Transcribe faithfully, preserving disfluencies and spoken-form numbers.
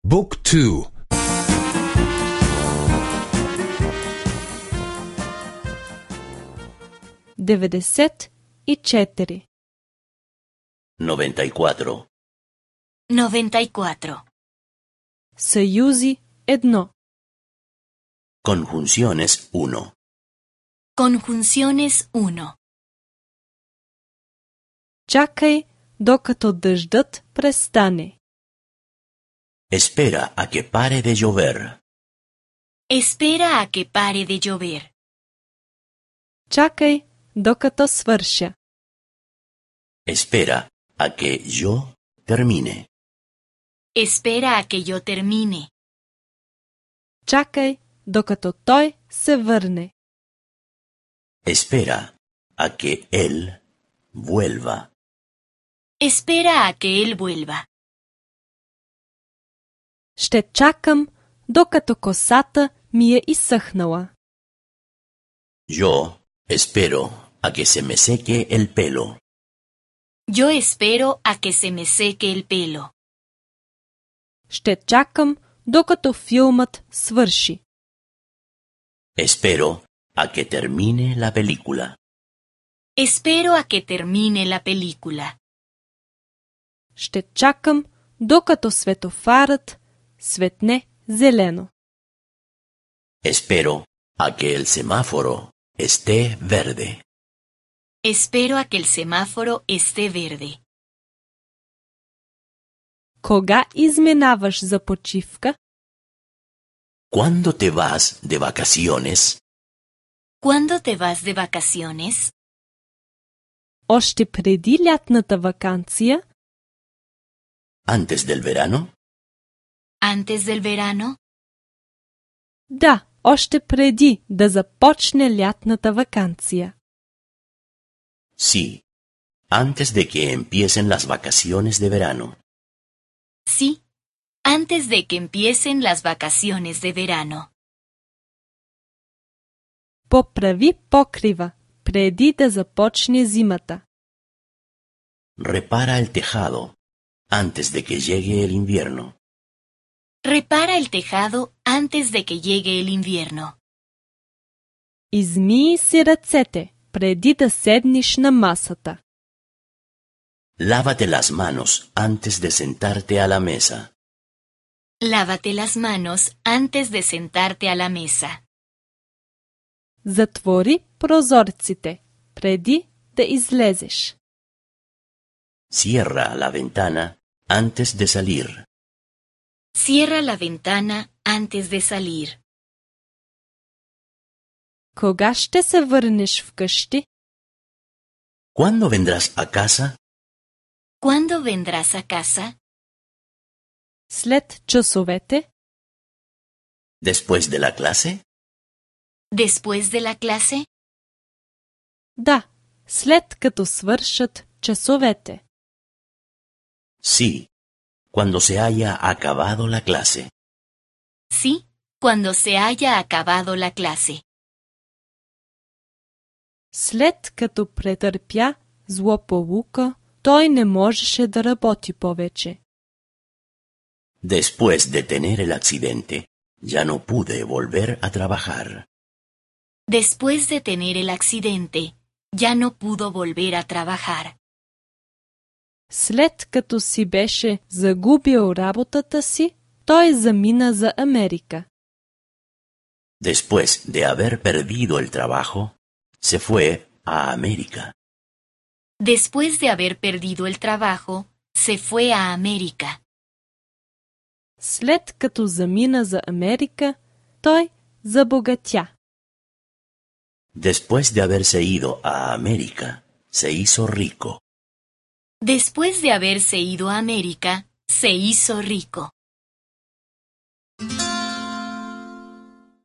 Book two. деветдесет и четири. noventa y cuatro. noventa y cuatro. Съюзи едно. Conjunciones uno. Conjunciones uno. Чакай докато дъждът престане. Espera a que pare de llover. Espera a que pare de llover. Чакай докато свърша. Espera a que yo termine. Espera a que yo termine. Чакай докато той се върне. Espera a que él vuelva. Espera a que él vuelva. Ще чакам докато косата ми е изсъхнала. Yo espero a que se me seque el pelo. Yo espero a que se me seque el pelo. Ще чакам докато филмът свърши. Espero a que termine la película. Espero a que termine la película. Ще чакам докато светофарът светне зелено. Espero a que el semáforo esté verde. Espero a que el semáforo esté verde. Кога изминаваш за почивка? ¿Cuándo te vas de vacaciones? ¿Cuándo te vas de vacaciones? Още преди лятната ваканция? ¿Antes del verano? ¿Antes del verano? Да, още преди да започне лятната ваканция. Sí, antes de que empiecen las vacaciones de verano. Sí, antes de que empiecen las vacaciones de verano. Поправи покрива преди да започне зимата. Repara el tejado antes de que llegue el invierno. Repara el tejado antes de que llegue el invierno. Измий си ръцете преди да седнеш на масата. Lávate las manos antes de sentarte a la mesa. Lávate las manos antes de sentarte a la mesa. Затвори прозорците преди да излезеш. Cierra la ventana antes de salir. Cierra la ventana antes de salir. Кога ще се върнеш вкъщи? ¿Cuándo vendrás a casa? ¿Cuándo vendrás a casa? След часовете? ¿Después de la clase? ¿Después de la clase? Да, след като свършат часовете. Sí, cuando se haya acabado la clase. Sí, cuando se haya acabado la clase. След като претърпя злополука, той не можеше да работи повече. Después de tener el accidente, ya no pude volver a trabajar. Después de tener el accidente, ya no pudo volver a trabajar. След като си беше загубил работата си, той замина за Америка. Después de haber perdido el trabajo, se fue a América. Después de haber perdido el trabajo, se fue a América. След като замина за Америка, той забогатя. Después de haberse ido a América, se hizo rico. Después de haberse ido a América, se hizo rico.